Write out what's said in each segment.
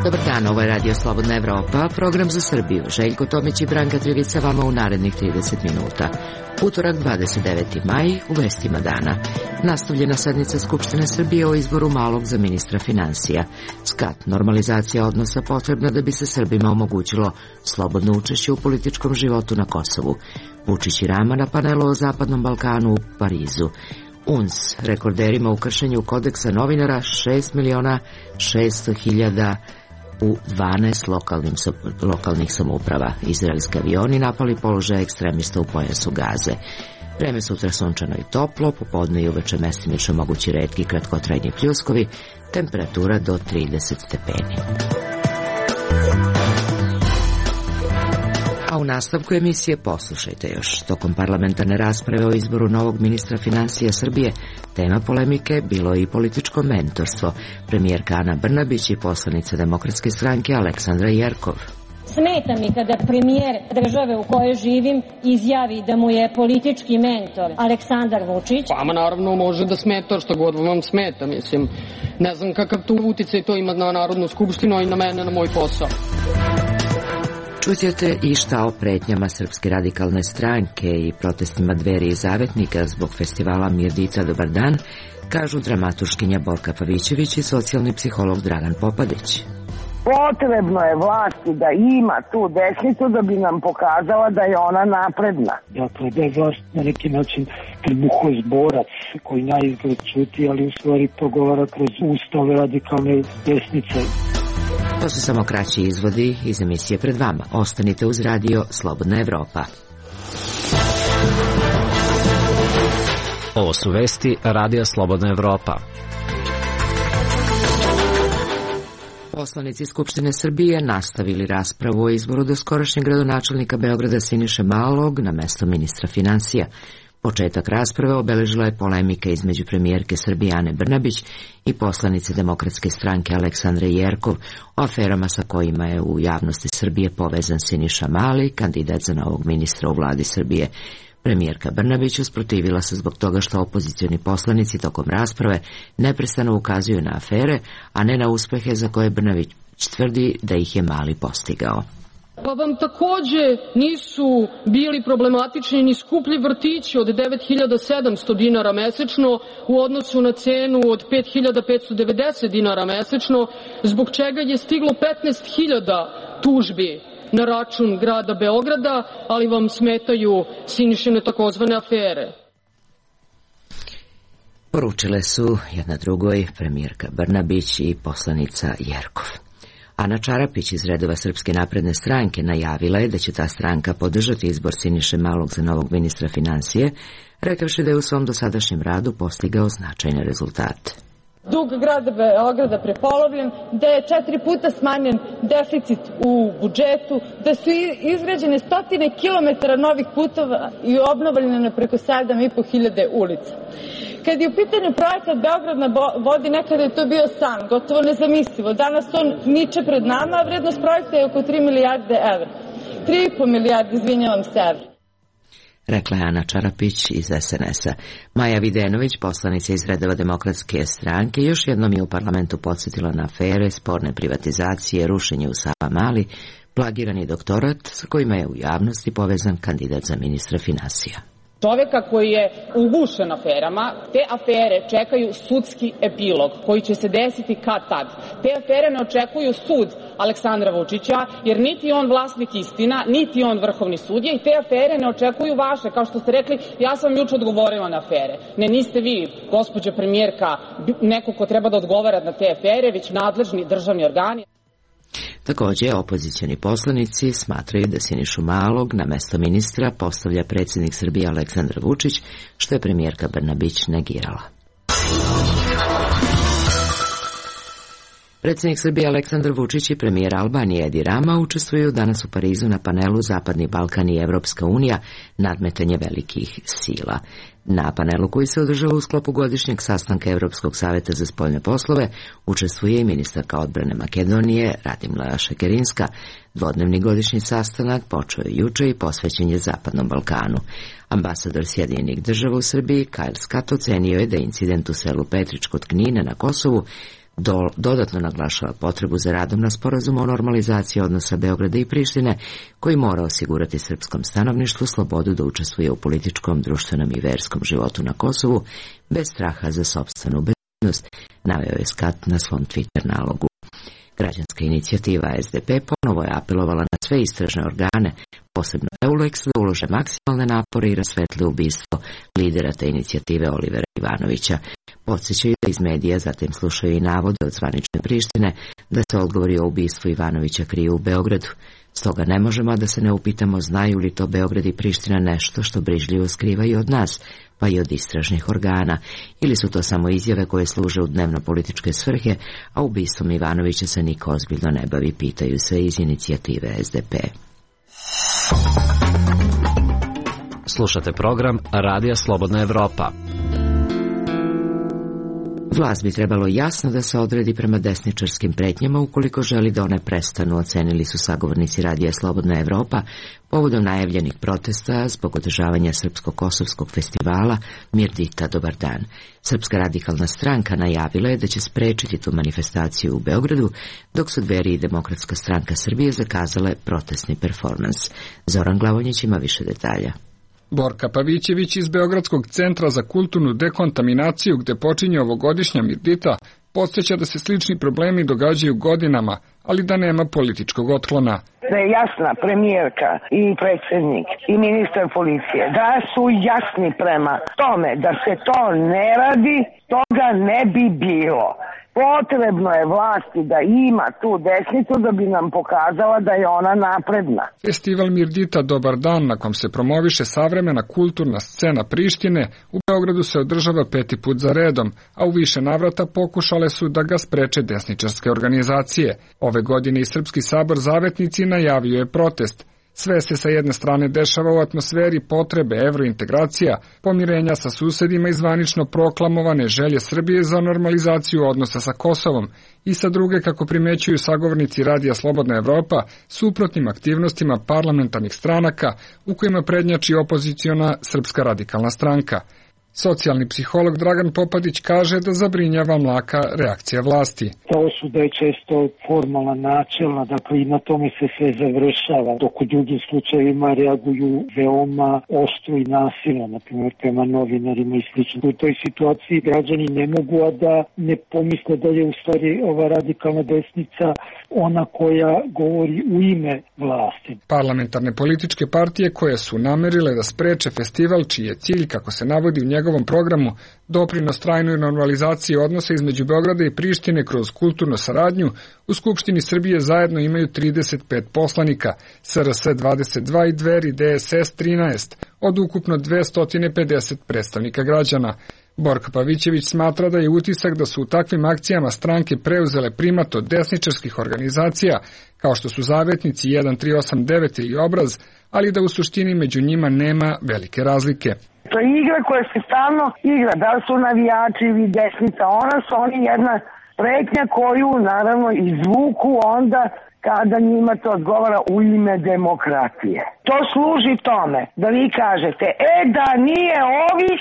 Dobar dan, ovo je Radio Slobodna Evropa, program za Srbiju. Željko Tomić i Branka Trivica vama u narednih 30 minuta. Utorak, 29. maj, u vestima dana. Nastavljena sednica Skupštine Srbije o izboru Malog za ministra finansija. SKAT, normalizacija odnosa potrebna da bi se Srbima omogućilo slobodno učešće u političkom životu na Kosovu. Vučić i Rama na panelu o Zapadnom Balkanu u Parizu. UNS, rekorderima u kršenju kodeksa novinara, 6.600.000 u 12 lokalnih samouprava. Izraelski avioni napali položaje ekstremista u pojasu Gaze. Vreme sutra sunčano i toplo, popodne i uveče mestimično mogući retki kratkotrajni pljuskovi, temperatura do 30 stepeni. A u nastavku emisije poslušajte još. Tokom parlamentarne rasprave o izboru novog ministra finansija Srbije, tema polemike bilo i političko mentorstvo. Premijerka Ana Brnabić i poslanica Demokratske stranke Aleksandra Jerkov. Smeta mi kada premijer države u kojoj živim izjavi da mu je politički mentor Aleksandar Vučić. Vama naravno može da smeta što god vam smeta, mislim. Ne znam kakav tu uticaj to ima na Narodnu skupštinu i na mene, na moj posao. Čućete i šta o pretnjama Srpske radikalne stranke i protestima Dveri i Zavetnika zbog festivala Mirdica Dobar dan, kažu dramaturškinja Borka Pavićević i socijalni psiholog Dragan Popadić. Potrebno je vlasti da ima tu desnicu da bi nam pokazala da je ona napredna. Dakle, da je vlast na neki način trbuhozborac koji naizgled čuti, ali u stvari progovara kroz ustave radikalne desnice. To su samo kraći izvodi iz emisije pred vama. Ostanite uz Radio Slobodna Evropa. Ovo su vesti Radija Slobodna Evropa. Poslanici Skupštine Srbije nastavili raspravu o izboru doskorašnjeg gradonačelnika Beograda Siniše Malog na mesto ministra finansija. Početak rasprave obeležila je polemika između premijerke Srbije Ane Brnabić i poslanice Demokratske stranke Aleksandre Jerkov o aferama sa kojima je u javnosti Srbije povezan Siniša Mali, kandidat za novog ministra u vladi Srbije. Premijerka Brnabić usprotivila se zbog toga što opozicioni poslanici tokom rasprave neprestano ukazuju na afere, a ne na uspehe za koje Brnabić tvrdi da ih je Mali postigao. Pa vam takođe nisu bili problematični ni skuplji vrtići od 9.700 dinara mesečno u odnosu na cenu od 5.590 dinara mesečno, zbog čega je stiglo 15.000 tužbi na račun grada Beograda, ali vam smetaju Sinišine takozvane afere. Poručile su jedna drugoj premijerka Brnabić i poslanica Jerkov. Ana Čarapić iz redova Srpske napredne stranke najavila je da će ta stranka podržati izbor Siniše Malog za novog ministra finansije, rekavši da je u svom dosadašnjem radu postigao značajne rezultate. Dug grada Beograda prepolovljen, da je 4 puta smanjen deficit u budžetu, da su izgrađene stotine kilometara novih putova i obnovljene preko 7.500 ulica. Kad je u pitanju projekat Beograd na vodi, nekada je to bio san, gotovo nezamislivo. Danas on niče pred nama, a vrednost projekta je oko 3 milijarde evra. 3,5 milijarde, izvinjavam se, evra. Rekla je Ana Čarapić iz SNS-a. Maja Videnović, poslanica iz redova Demokratske stranke, još jednom je u parlamentu podsjetila na afere, sporne privatizacije, rušenje u Savamali, plagirani doktorat sa kojima je u javnosti povezan kandidat za ministra finansija. Čoveka koji je ugušen aferama, te afere čekaju sudski epilog koji će se desiti kad tad. Te afere ne očekuju sud Aleksandra Vučića, jer niti on vlasnik istina, niti on vrhovni sudija i te afere ne očekuju vaše. Kao što ste rekli, ja sam juče odgovorila na afere. Ne, niste vi, gospođo premijerka, neko ko treba da odgovara na te afere, već nadležni državni organi. Također, opozicioni poslanici smatraju da Sinišu Malog na mesto ministra postavlja predsjednik Srbije Aleksandar Vučić, što je premijerka Brnabić negirala. Predsjednik Srbije Aleksandar Vučić i premijer Albanije Edi Rama učestvuju danas u Parizu na panelu Zapadni Balkan i Evropska unija, nadmetanje velikih sila. Na panelu koji se održava u sklopu godišnjeg sastanka Evropskog saveta za spoljne poslove učestvuje i ministarka odbrane Makedonije Radimila Šekerinska. Dvodnevni godišnji sastanak počeo je juče i posvećen je Zapadnom Balkanu. Ambasador Sjedinjenih država u Srbiji Kyle Scott ocenio je da incident u selu Petrić kod Knina na Kosovu dodatno naglašava potrebu za radom na sporazumu o normalizaciji odnosa Beograda i Prištine, koji mora osigurati srpskom stanovništvu slobodu da učestvuje u političkom, društvenom i verskom životu na Kosovu, bez straha za sopstvenu bezbednost, naveo je Skat na svom Twitter nalogu. Građanska inicijativa SDP ponovo je apelovala na sve istražne organe, posebno EULEX, da ulože maksimalne napore i rasvetle ubistvo lidera te inicijative Olivera Ivanovića. Podsjećaju da iz medija zatim slušaju i navode od zvanične Prištine da se odgovori o ubistvu Ivanovića kriju u Beogradu. Stoga ne možemo da se ne upitamo znaju li to Beograd i Priština nešto što brižljivo skrivaju od nas, pa i od istražnih organa, ili su to samo izjave koje služe u dnevno-političke svrhe, a ubistvom Ivanovića se niko ozbiljno ne bavi, pitaju se iz inicijative SDP. Slušate program Radija Slobodna Evropa. Vlast bi trebalo jasno da se odredi prema desničarskim pretnjama ukoliko želi da one prestanu, ocenili su sagovornici Radija Slobodna Evropa povodom najavljenih protesta zbog održavanja Srpsko-kosovskog festivala Mirdita Dobar dan. Srpska radikalna stranka najavila je da će sprečiti tu manifestaciju u Beogradu, dok su Dveri i Demokratska stranka Srbije zakazale protestni performans. Zoran Glavonjić ima više detalja. Borka Pavićević iz Beogradskog centra za kulturnu dekontaminaciju, gde počinje ovogodišnja Mirdita, podsjeća da se slični problemi događaju godinama, ali da nema političkog otklona. Da je jasna premijerka i predsjednik i ministar policije, da su jasni prema tome da se to ne radi, toga ne bi bilo. Potrebno je vlasti da ima tu desnicu da bi nam pokazala da je ona napredna. Festival Mirdita Dobar dan, na kom se promoviše savremena kulturna scena Prištine, u Beogradu se održava 5. put za redom, a u više navrata pokušale su da ga spreče desničarske organizacije. Ove godine i Srpski sabor Zavetnici najavio je protest. Sve se sa jedne strane dešava u atmosferi potrebe evrointegracija, pomirenja sa susedima i zvanično proklamovane želje Srbije za normalizaciju odnosa sa Kosovom i sa druge, kako primećuju sagovornici Radija Slobodna Evropa, suprotnim aktivnostima parlamentarnih stranaka u kojima prednjači opoziciona Srpska radikalna stranka. Socijalni psiholog Dragan Popadić kaže da zabrinjava mlaka reakcija vlasti. Ta osuda je često formalna, načelna, dakle i na tome se sve završava, dok u drugim slučajevima reaguju veoma oštro i nasilno, na primjer prema novinarima i slično. U toj situaciji građani ne mogu a da ne pomisle da je u stvari ova radikalna desnica ona koja govori u ime vlasti. Parlamentarne političke partije koje su namerile da spreče festival, čiji je cilj, kako se navodi u njegovom programu, doprinos trajnoj normalizaciji odnosa između Beograda i Prištine kroz kulturnu saradnju, u Skupštini Srbije zajedno imaju 35 poslanika, SRS 22 i Dveri DSS 13, od ukupno 250 predstavnika građana. Borka Pavićević smatra da je utisak da su u takvim akcijama stranke preuzele primat od desničarskih organizacija, kao što su Zavetnici 1389 ili Obraz, ali da u suštini među njima nema velike razlike. To je igra koja se stalno igra, da li su navijači ili desnica, oni jedna pretnja koju naravno izvuku onda kada njima to odgovara u ime demokratije. To služi tome da vi kažete, da nije ovih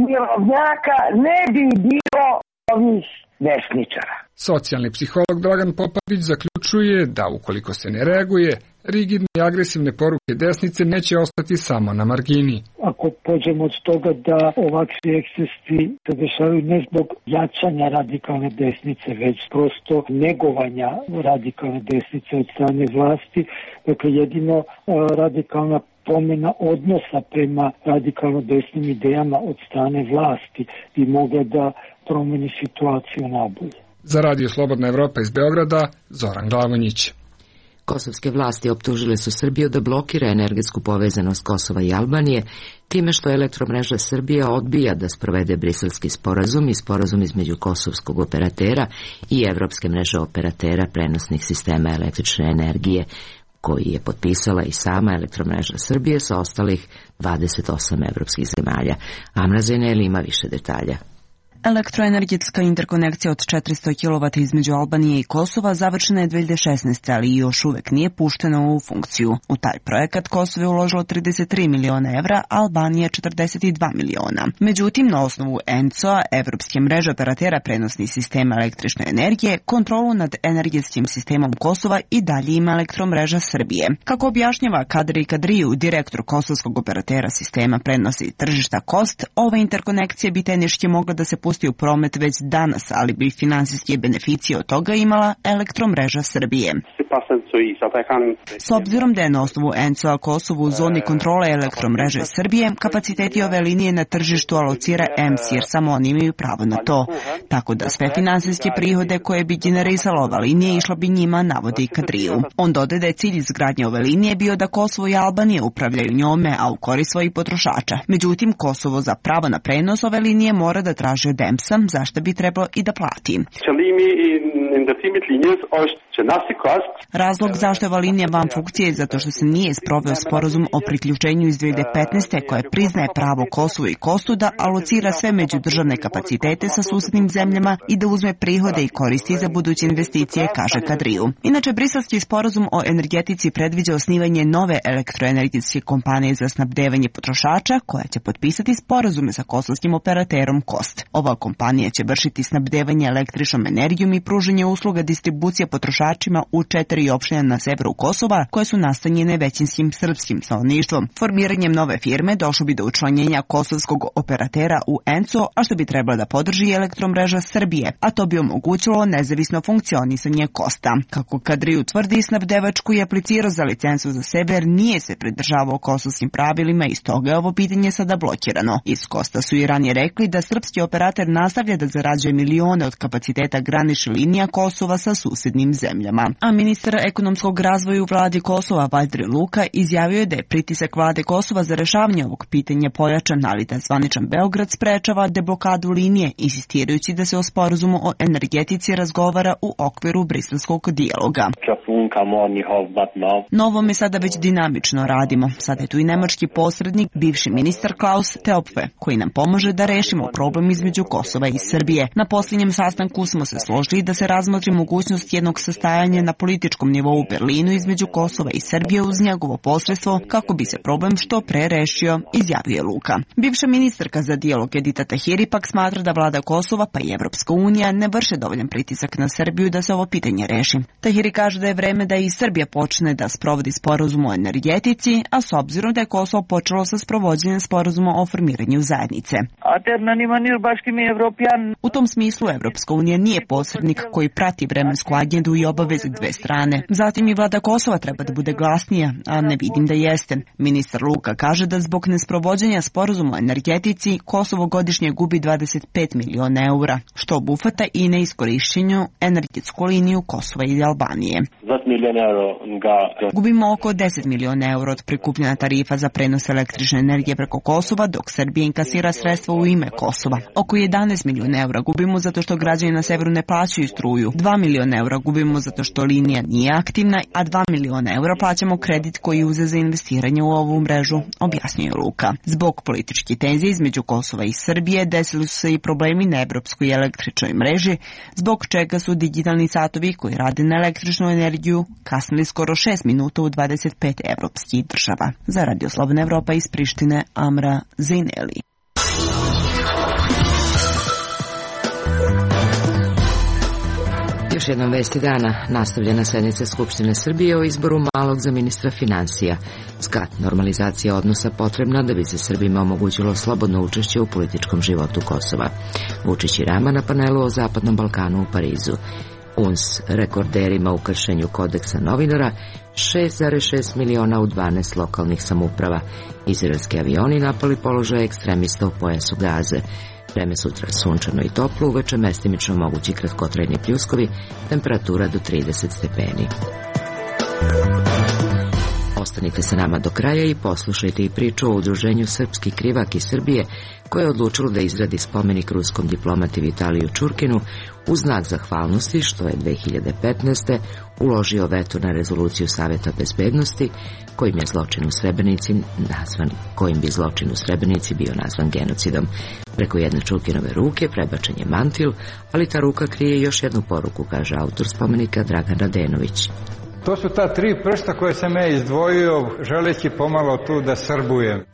mirovnjaka, ne bi bilo ovih desničara. Socijalni psiholog Dragan Popadić zaključuje da ukoliko se ne reaguje, rigidne i agresivne poruke desnice neće ostati samo na margini. Ako pođemo od toga da ovakvi ekscesi se dešavaju ne zbog jačanja radikalne desnice, već prosto negovanja radikalne desnice od strane vlasti, dakle jedino radikalna promjena odnosa prema radikalno desnim idejama od strane vlasti bi mogla da promeni situaciju nabolje. Za Radio Slobodna Evropa iz Beograda, Zoran Glavonjić. Kosovske vlasti optužile su Srbiju da blokira energetsku povezanost Kosova i Albanije, time što Elektromreža Srbije odbija da sprovede briselski sporazum i sporazum između kosovskog operatera i Evropske mreže operatera prenosnih sistema električne energije, koji je potpisala i sama Elektromreža Srbije sa ostalih 28 evropskih zemalja. Amra Zeneli ima više detalja. Elektroenergetska interkonekcija od 400 kW između Albanije i Kosova završena je 2016. ali još uvek nije puštena u funkciju. U taj projekat Kosovo je uložilo 33 miliona evra, a Albanija 42 miliona. Međutim, na osnovu ENCO-a, Evropske mreže operatera prenosnih sistema električne energije, kontrolu nad energetskim sistemom Kosova i dalje ima Elektromreža Srbije. Kako objašnjava Kadri Kadriju, direktor kosovskog operatera sistema prenosa i tržišta KOST, ova interkonekcija bi tehnički mogla da se pusti u promet već danas, ali bi finansijske beneficije od toga imala Elektromreža Srbije. S obzirom da je na osnovu ENCO-a Kosovo u zoni kontrole Elektromreže Srbije, kapaciteti ove linije na tržištu alocira EMS, jer samo oni imaju pravo na to. Tako da sve finansijske prihode koje bi generisala ova linija išla bi njima, navodi Kadriju. On dodaje da je cilj izgradnje ove linije bio da Kosovo i Albanija upravljaju njome, a u korist svojih potrošača. Međutim, Kosovo za pravo na prenos ove linije mora da traži od EMS-a, zašto bi trebalo i da plati. Razlog zašto je ova linija van funkcije je zato što se nije sproveo sporazum o priključenju iz 2015. koje priznaje pravo Kosovu i Kostu da alocira sve međudržavne kapacitete sa susednim zemljama i da uzme prihode i koristi za buduće investicije, kaže Kadriju. Inače, briselski sporazum o energetici predviđa osnivanje nove elektroenergetske kompanije za snabdevanje potrošača koja će potpisati sporazume sa kosovskim operaterom KOST. Ova kompanija će vršiti snabdevanje električnom energijom i pružanje usluga distribucije potrošačima u 4 opštine na severu Kosova koje su nastanjene većinskim srpskim stanovništvom. Formiranjem nove firme došlo bi do učlanjenja kosovskog operatera u ENCO, a što bi trebalo da podrži Elektromreža Srbije, a to bi omogućilo nezavisno funkcionisanje KOSTA. Kako Kadriju tvrdi, snabdevačku je aplicirao za licencu za sebe jer nije se pridržavao kosovskim pravilima i stoga je ovo pitanje sada blokirano. Iz KOSTA su i ranije rekli da srpski operator nastavlja da zarađuje milione od kapaciteta granične linija Kosova sa susednim zemljama. A ministar ekonomskog razvoja u vladi Kosova, Valdri Luka, izjavio je da je pritisak vlade Kosova za rešavanje ovog pitanja pojačan, ali da zvaničan Beograd sprečava deblokadu linije, insistirajući da se o sporazumu o energetici razgovara u okviru briselskog dijaloga. Na ovome sada već dinamično radimo. Sada je tu i nemački posrednik, bivši ministar Klaus Teopfe, koji nam pomaže da rešimo problem između Kosova i Srbije. Na posljednjem sastanku smo se složili da se razmotri mogućnost jednog sastajanja na političkom nivou u Berlinu između Kosova i Srbije uz njegovo posredstvo kako bi se problem što pre rešio, izjavio Luka. Bivša ministarka za dijalog Edita Tahiri pak smatra da vlada Kosova pa i Evropska unija ne vrše dovoljan pritisak na Srbiju da se ovo pitanje reši. Tahiri kaže da je vreme da i Srbija počne da sprovodi sporazum o energetici, a s obzirom da je Kosovo počelo sa sprovođenjem sporazuma o formiranju zajednice. U tom smislu Evropska unija nije posrednik koji prati vremensku agendu i obaveze dve strane. Zatim i vlada Kosova treba da bude glasnija, a ne vidim da jeste. Ministar Luka kaže da zbog nesprovođenja sporazuma o energetici Kosovo godišnje gubi 25 miliona eura, što obuhvata i neiskorišćenju energetsku liniju Kosova i Albanije. Gubimo oko 10 miliona eura od prikupljena tarifa za prenos električne energije preko Kosova, dok Srbija inkasira sredstva u ime Kosova. Oko 11 miliona eura gubimo zato što građani na severu ne plaćaju struju. 2 miliona eura gubimo zato što linija nije aktivna, a 2 miliona eura plaćamo kredit koji uze za investiranje u ovu mrežu, objasnio Luka. Zbog političke tenzije između Kosova i Srbije desili su se i problemi na evropskoj električnoj mreži, zbog čega su digitalni satovi koji rade na električnu energiju kasnili skoro 6 minuta u 25 evropskih država. Za Radio Slobodna Evropa iz Prištine, Amra Zejneli. Još jednom vesti dana, nastavljena sednica Skupštine Srbije o izboru Malog za ministra finansija. Skat, normalizacija odnosa potrebna da bi se Srbima omogućilo slobodno učešće u političkom životu Kosova. Vučić i Rama na panelu o Zapadnom Balkanu u Parizu. UNS rekorderima u kršenju kodeksa novinara, 6,6 miliona u 12 lokalnih samouprava. Izraelski avioni napali položaje ekstremista u pojasu Gaze. Vreme sutra sunčano i toplo, uveče mestimično mogući kratkotrajni pljuskovi, temperatura do 30 stepeni. Ostanite sa nama do kraja i poslušajte i priču o udruženju Srpski krivak iz Srbije, koje je odlučilo da izradi spomenik ruskom diplomati Vitaliju Čurkinu u znak zahvalnosti što je 2015. uložio veto na rezoluciju Saveta bezbednosti kojim bi zločin u Srebrenici bio nazvan genocidom. Preko jedne Čurkinove ruke prebačen je mantil, ali ta ruka krije još jednu poruku, kaže autor spomenika Dragan Radenović. To su ta 3 prsta koje sam ja izdvojio, želeći pomalo tu da srbujem.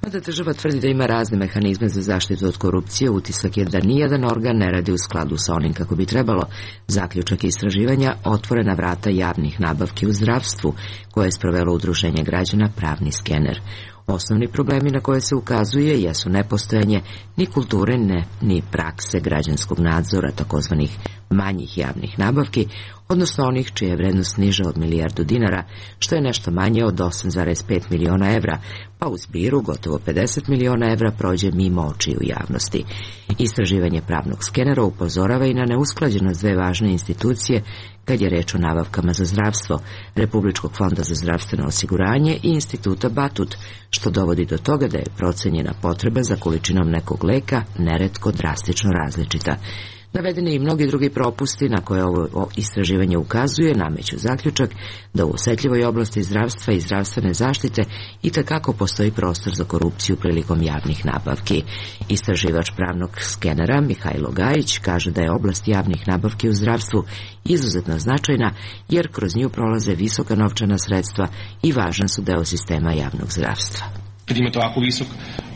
Mada država tvrdi da ima razne mehanizme za zaštitu od korupcije, utisak je da nijedan organ ne radi u skladu sa onim kako bi trebalo. Zaključak istraživanja otvorena vrata javnih nabavki u zdravstvu, koje je sprovelo udruženje građana Pravni skener. Osnovni problemi na koje se ukazuje jesu nepostojanje ni kulture, ni prakse građanskog nadzora takozvanih manjih javnih nabavki, odnosno onih čija je vrednost niža od milijardu dinara, što je nešto manje od 8,5 miliona evra, pa u zbiru gotovo 50 miliona evra prođe mimo očiju javnosti. Istraživanje Pravnog skenera upozorava i na neusklađenost dve važne institucije kad je reč o nabavkama za zdravstvo, Republičkog fonda za zdravstveno osiguranje i Instituta Batut, što dovodi do toga da je procenjena potreba za količinom nekog leka neretko drastično različita. Navedeni i mnogi drugi propusti na koje ovo istraživanje ukazuje nameću zaključak da u osetljivoj oblasti zdravstva i zdravstvene zaštite itekako postoji prostor za korupciju prilikom javnih nabavki. Istraživač Pravnog skenera Mihajlo Gajić kaže da je oblast javnih nabavki u zdravstvu izuzetno značajna jer kroz nju prolaze visoka novčana sredstva i važan su deo sistema javnog zdravstva. Kad imate ovako visok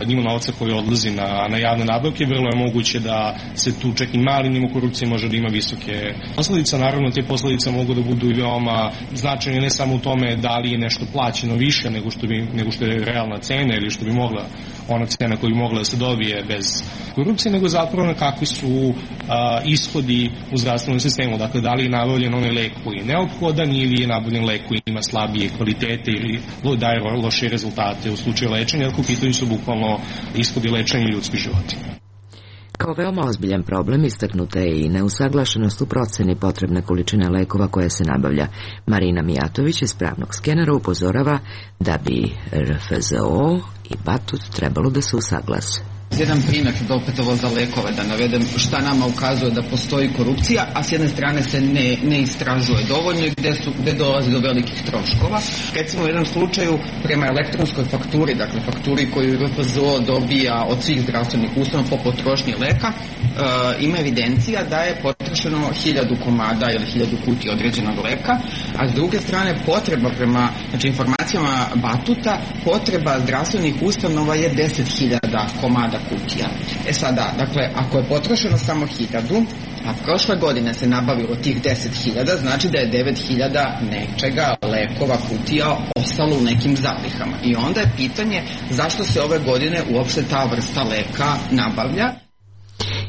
nivo novca koji odlazi na javne nabavke, vrlo je moguće da se tu čak i mali nivo korupcije može da ima visoke posledice. Naravno, te posledice mogu da budu i veoma značajne ne samo u tome da li je nešto plaćeno više nego što je realna cena ili što bi mogla ona cena koju bi mogla da se dobije bez korupcije, nego zapravo na kakvi su ishodi u zdravstvenom sistemu. Dakle, da li je nabavljen onaj lek koji je neophodan ili je nabavljen lek koji ima slabije kvalitete ili daje loše rezultate u slučaju lečenja, jer u pitanju su bukvalno ishodi lečenja ljudskih života. Kao veoma ozbiljan problem istaknuta je i neusaglašenost u proceni potrebne količine lekova koje se nabavlja. Marina Mijatović iz Pravnog skenera upozorava da bi RFZO i Batut trebalo da se usaglase. Jedan primjer da opet ovo za lekove da navedem šta nama ukazuje da postoji korupcija, a s jedne strane se ne istražuje dovoljno i gde dolazi do velikih troškova. Recimo u jednom slučaju prema elektronskoj fakturi, dakle fakturi koju RFZO dobija od svih zdravstvenih ustanova po potrošnji leka, ima evidencija da je potrošeno 1000 komada ili 1000 kutija određenog leka, a s druge strane potreba prema informacijama Batuta, potreba zdravstvenih ustanova je 10.000 komada kutija. Sada, dakle, ako je potrošeno samo 1000, a prošle godine se nabavilo tih 10.000, znači da je 9.000 nečega, lekova, kutija, ostalo u nekim zalihama. I onda je pitanje zašto se ove godine uopšte ta vrsta leka nabavlja.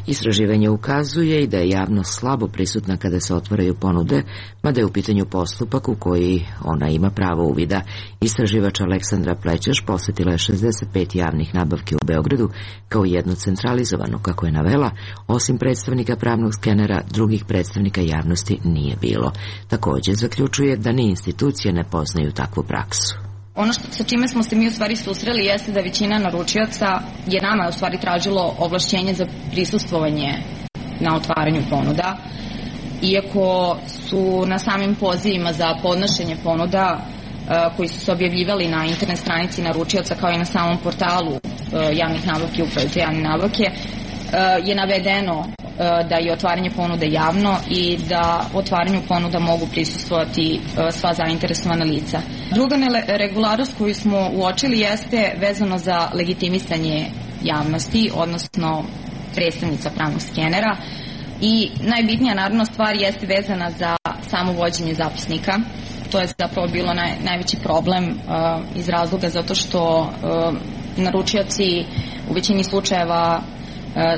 Istraživanje ukazuje i da je javnost slabo prisutna kada se otvaraju ponude, mada je u pitanju postupak u koji ona ima pravo uvida. Istraživač Aleksandra Plećeš posjetila je 65 javnih nabavki u Beogradu kao jednu centralizovanu, kako je navela, osim predstavnika Pravnog skenera, drugih predstavnika javnosti nije bilo. Također zaključuje da ni institucije ne poznaju takvu praksu. Ono sa čime smo se mi u stvari susreli jeste da većina naručioca je nama u stvari tražilo ovlašćenje za prisustvovanje na otvaranju ponuda, iako su na samim pozivima za podnošenje ponuda koji su se objavljivali na internet stranici naručioca kao i na samom portalu javnih nabavki, uprave za javne nabavke, je navedeno da je otvaranje ponude javno i da otvaranju ponuda mogu prisustvovati sva zainteresovana lica. Druga neregularnost koju smo uočili jeste vezano za legitimisanje javnosti, odnosno predstavnica Pravnog skenera, i najbitnija naravno stvar jeste vezana za samo vođenje zapisnika. To je zapravo bilo najveći problem iz razloga zato što naručioci u većini slučajeva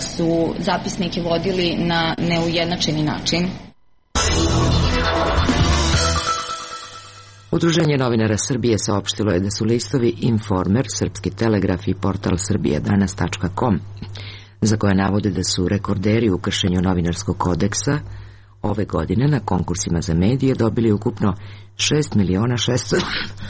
su zapisnike vodili na neujednačeni način. Udruženje novinara Srbije saopštilo je da su listovi Informer, Srpski telegraf i portal srbijadanas.com, za koje navode da su rekorderi u kršenju novinarskog kodeksa, ove godine na konkursima za medije dobili ukupno 6.600.000.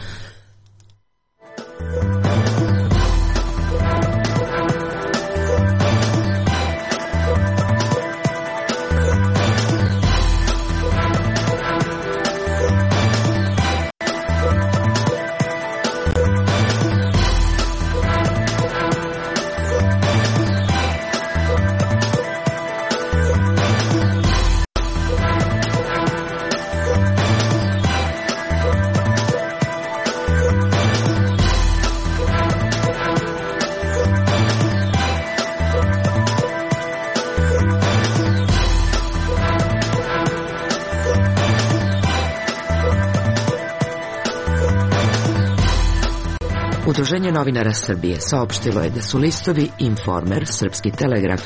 Udruženje novinara Srbije saopštilo je da su listovi Informer, Srpski telegraf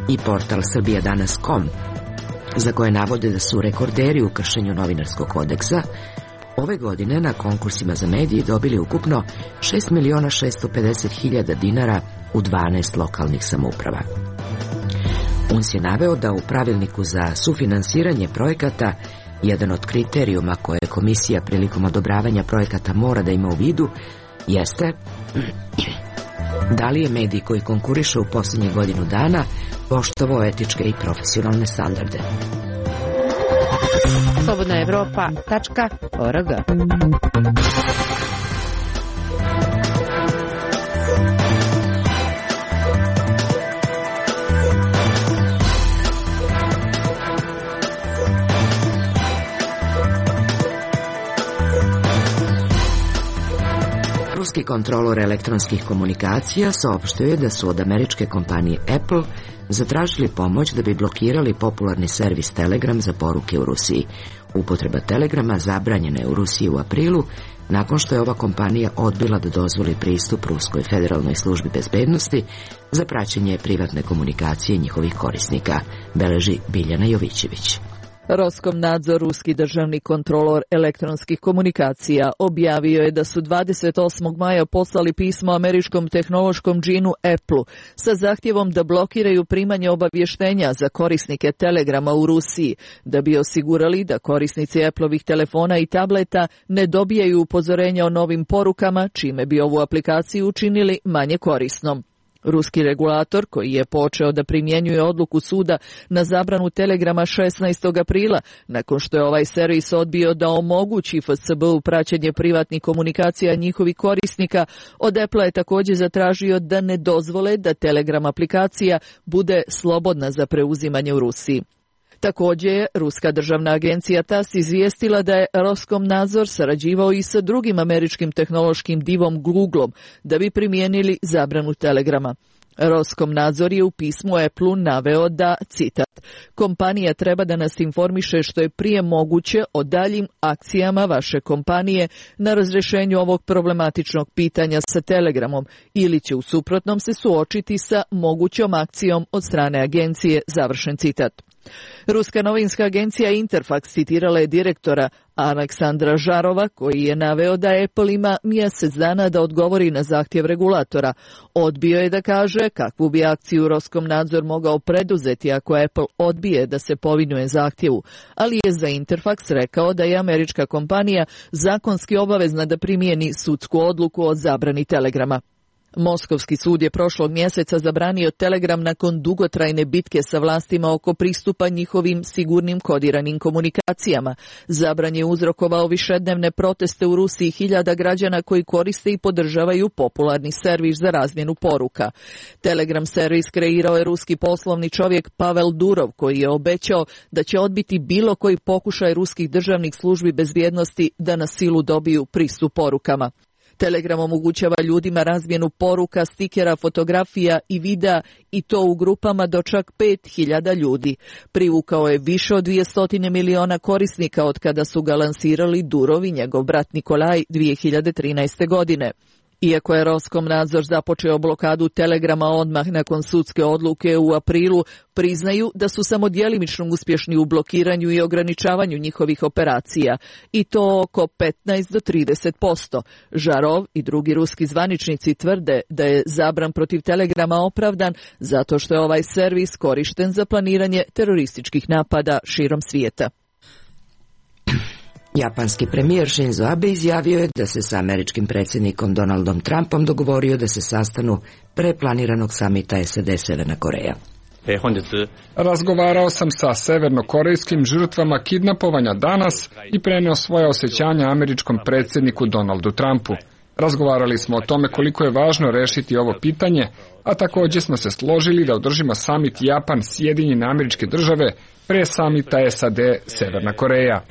i portal srbijadanas.com, za koje navode da su rekorderi u kršenju novinarskog kodeksa, ove godine na konkursima za medije dobili ukupno 6.650.000 dinara u 12 lokalnih samouprava. UNS je naveo da u pravilniku za sufinansiranje projekata jedan od kriterijuma koje komisija prilikom odobravanja projekata mora da ima u vidu jeste da li je medij koji konkuriše u posljednje godinu dana poštovao etičke i profesionalne standarde. slobodnaevropa.org. Ruski kontrolor elektronskih komunikacija saopštio je da su od američke kompanije Apple zatražili pomoć da bi blokirali popularni servis Telegram za poruke u Rusiji. Upotreba Telegrama zabranjena je u Rusiji u aprilu, nakon što je ova kompanija odbila da dozvoli pristup Ruskoj federalnoj službi bezbednosti za praćenje privatne komunikacije njihovih korisnika, beleži Biljana Jovićević. Roskomnadzor, ruski državni kontrolor elektronskih komunikacija, objavio je da su 28. maja poslali pismo američkom tehnološkom džinu Apple sa zahtjevom da blokiraju primanje obavještenja za korisnike Telegrama u Rusiji, da bi osigurali da korisnici Appleovih telefona i tableta ne dobijaju upozorenja o novim porukama, čime bi ovu aplikaciju učinili manje korisnom. Ruski regulator, koji je počeo da primjenjuje odluku suda na zabranu Telegrama 16. aprila, nakon što je ovaj servis odbio da omogući FSB-u praćenje privatnih komunikacija njihovih korisnika, od Apple je također zatražio da ne dozvole da Telegram aplikacija bude slobodna za preuzimanje u Rusiji. Također je Ruska državna agencija TASS izvijestila da je Roskomnadzor sarađivao i sa drugim američkim tehnološkim divom Googleom da bi primijenili zabranu Telegrama. Roskomnadzor je u pismu Apple naveo da, citat, kompanija treba da nas informiše što je prije moguće o daljim akcijama vaše kompanije na razrješenju ovog problematičnog pitanja sa Telegramom ili će u suprotnom se suočiti sa mogućom akcijom od strane agencije, završen citat. Ruska novinska agencija Interfax citirala je direktora Aleksandra Žarova, koji je naveo da Apple ima mjesec dana da odgovori na zahtjev regulatora. Odbio je da kaže kakvu bi akciju Roskomnadzor mogao preduzeti ako Apple odbije da se povinuje zahtjevu, ali je za Interfax rekao da je američka kompanija zakonski obavezna da primijeni sudsku odluku o zabrani Telegrama. Moskovski sud je prošlog mjeseca zabranio Telegram nakon dugotrajne bitke sa vlastima oko pristupa njihovim sigurnim kodiranim komunikacijama. Zabran je uzrokovao višednevne proteste u Rusiji hiljada građana koji koriste i podržavaju popularni servis za razmjenu poruka. Telegram servis kreirao je ruski poslovni čovjek Pavel Durov, koji je obećao da će odbiti bilo koji pokušaj ruskih državnih službi bezbjednosti da na silu dobiju pristup porukama. Telegram omogućava ljudima razmjenu poruka, stikera, fotografija i videa i to u grupama do čak 5.000 ljudi. Privukao je više od 200 miliona korisnika od kada su ga lansirali Durov i njegov brat Nikolaj 2013. godine. Iako je Roskomnadzor započeo blokadu Telegrama odmah nakon sudske odluke u aprilu, priznaju da su samo djelimično uspješni u blokiranju i ograničavanju njihovih operacija, i to oko 15 do 30%. Žarov i drugi ruski zvaničnici tvrde da je zabran protiv Telegrama opravdan zato što je ovaj servis korišten za planiranje terorističkih napada širom svijeta. Japanski premijer Shinzo Abe izjavio je da se sa američkim predsjednikom Donaldom Trumpom dogovorio da se sastanu pre planiranog samita SAD-Severna Koreja. Razgovarao sam sa severnokorejskim žrtvama kidnapovanja danas i preneo svoje osjećanja američkom predsjedniku Donaldu Trumpu. Razgovarali smo o tome koliko je važno rešiti ovo pitanje, a također smo se složili da održimo samit Japan-Sjedinjene Američke Države pre samita SAD-Severna Koreja.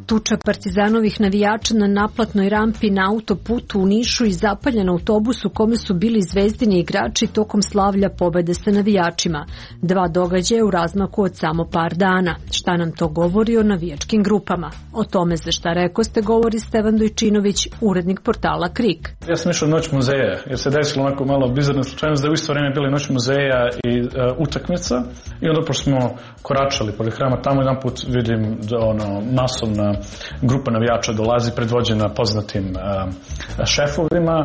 Tuča partizanovih navijača na naplatnoj rampi na autoputu u Nišu i zapaljen autobus u kome su bili Zvezdini igrači tokom slavlja pobede sa navijačima. 2 događaja u razmaku od samo par dana. Šta nam to govori o navijačkim grupama? O tome za šta rekoste govori Stevan Dojčinović, urednik portala KRIK. Ja sam išao Noć muzeja, jer se desilo onako malo bizarna slučajnost da je u isto vrijeme bili Noć muzeja i utakmica. I onda pošto smo koračali pored hrama, tamo jedan put vidim masovna grupa navijača dolazi predvođena poznatim šefovima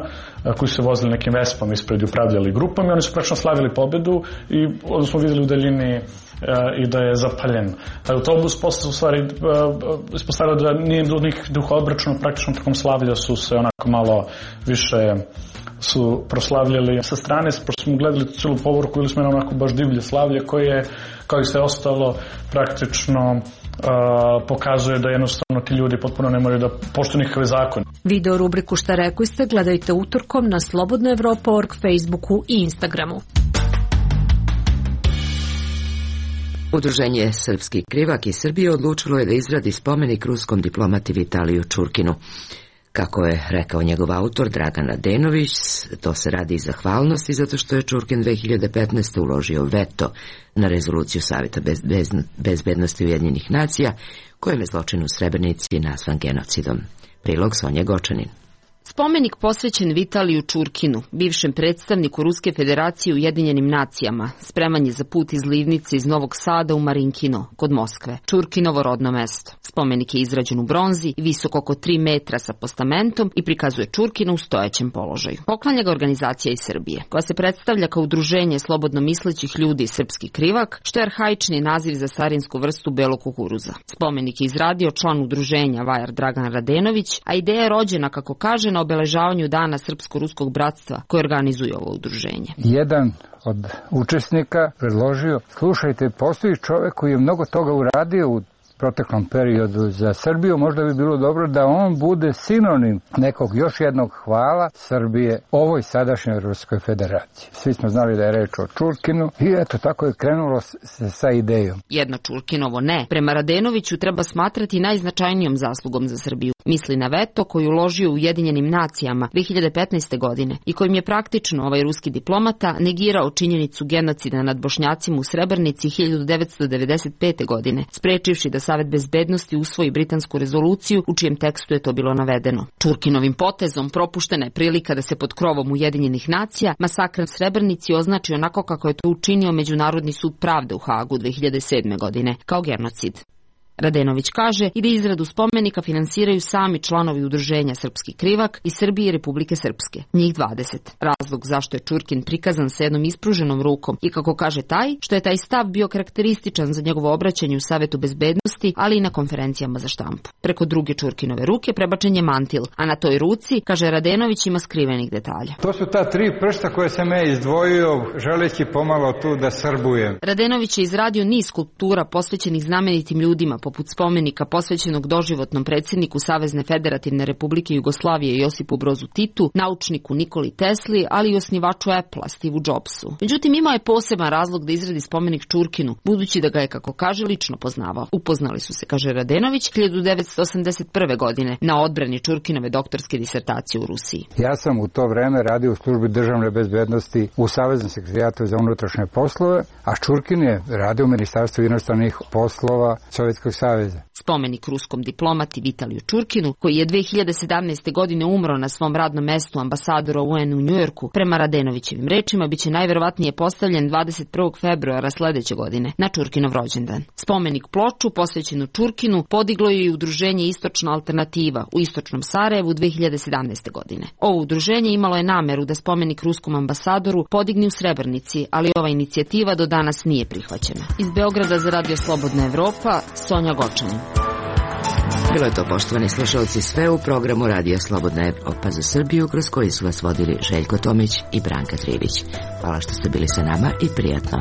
koji su vozili nekim vespom ispred i upravljali grupom i oni su praktično slavili pobedu i onda smo vidjeli u daljini i da je zapaljen autobus. Posle u stvari ispostavilo da nije bilo nikakvih duhobračuna, praktično tokom slavlja su se onako malo više su proslavljali sa strane, pošto smo gledali cijelu povorku ili smo onako baš divlje slavlje koje, kao i sve ostalo, praktično pokazuje da jednostavno ti ljudi potpuno ne moraju da poštuju nikakve zakone. Video rubriku Šta rekli ste gledajte utorkom na slobodnaevropa.org, Facebooku i Instagramu. Udruženje Srpski Krivak iz Srbije odlučilo je da izradi spomenik ruskom diplomati Vitaliju Čurkinu. Kako je rekao njegov autor Dragan Radenović, to se radi iz zahvalnosti zato što je Čurkin 2015. uložio veto na rezoluciju Savjeta bezbednosti Ujedinjenih nacija, kojim je zločin u Srebrenici nazvan genocidom. Prilog Sonja Gočanin. Spomenik posvećen Vitaliju Čurkinu, bivšem predstavniku Ruske federacije u Ujedinjenim nacijama, spreman je za put iz Livnice iz Novog Sada u Marinkino, kod Moskve, Čurkinovo rodno mesto. Spomenik je izrađen u bronzi i visok oko 3 metra sa postamentom i prikazuje Čurkina u stojećem položaju. Poklanja ga organizacija iz Srbije, koja se predstavlja kao udruženje slobodno mislećih ljudi Srpski Krivak, što je arhaični naziv za starinsku vrstu belog kukuruza. Spomenik je izradio član udruženja Vajar Dragan Radenović, a ideja je rođena, kako kaže, na obeležavanju Dana Srpsko-ruskog bratstva koje organizuje ovo udruženje. Jedan od učesnika predložio, slušajte, postoji čovjek koji je mnogo toga uradio u proteklom periodu za Srbiju, možda bi bilo dobro da on bude sinonim nekog još jednog hvala Srbije ovoj sadašnjoj Ruskoj federaciji. Svi smo znali da je reč o Čurkinu i eto tako je krenulo sa idejom. Jedno Čurkinovo ne, prema Radenoviću, treba smatrati najznačajnijom zaslugom za Srbiju. Misli na veto koji uložio u Ujedinjenim nacijama 2015. godine i kojim je praktično ovaj ruski diplomata negirao činjenicu genocida nad Bošnjacima u Srebrenici 1995. godine, sprečivši da Savet bezbednosti usvoji britansku rezoluciju u čijem tekstu je to bilo navedeno. Čurkinovim potezom propuštena je prilika da se pod krovom Ujedinjenih nacija masakr u Srebrenici označi onako kako je to učinio Međunarodni sud pravde u Hagu 2007. godine, kao genocid. Radenović kaže i da izradu spomenika finansiraju sami članovi udruženja Srpski Krivak iz Srbije i Republike Srpske, njih 20. Razlog zašto je Čurkin prikazan sa jednom ispruženom rukom i, kako kaže, taj što je taj stav bio karakterističan za njegovo obraćanje u Savetu bezbednosti, ali i na konferencijama za štampu. Preko druge Čurkinove ruke prebačen je mantil, a na toj ruci, kaže Radenović, ima skrivenih detalja. To su ta 3 prsta koje sam ja izdvojio, želeći pomalo tu da srbujem. Radenović je izradio niz skulptura posvećenih znamenitim ljudima poput spomenika posvećenog doživotnom predsjedniku Savezne Federativne Republike Jugoslavije Josipu Brozu Titu, naučniku Nikoli Tesli, ali i osnivaču Apple-a Steve Jobsu. Međutim, imao je poseban razlog da izradi spomenik Čurkinu, budući da ga je, kako kaže, lično poznavao. Upoznali su se, kaže Radenović, 1981. godine na odbrani Čurkinove doktorske disertacije u Rusiji. Ja sam u to vreme radio u službi državne bezbednosti u Saveznom sekretarijatu za unutrašnje poslove, a Čurkin je radio u Ministarstvu inostranih poslova Sovjetskog saveza. Spomenik ruskom diplomati Vitaliju Čurkinu, koji je 2017. godine umro na svom radnom mestu ambasadora UN u Njujorku, prema Radenovićevim rečima, biće najverovatnije postavljen 21. februara sledeće godine, na Čurkinov rođendan. Spomenik ploču posvećenu Čurkinu podiglo je i udruženje Istočna alternativa u Istočnom Sarajevu 2017. godine. Ovo udruženje imalo je nameru da spomenik ruskom ambasadoru podigne u Srebrnici, ali ova inicijativa do danas nije prihvaćena. Iz Beograda za Radio Slobodna Evropa, Sonja Gočanin. Bilo je to, poštovani slušalci, sve u programu Radija Slobodna Evropa za Srbiju, kroz koji su vas vodili Željko Tomić i Branka Trivić. Hvala što ste bili sa nama i prijatno.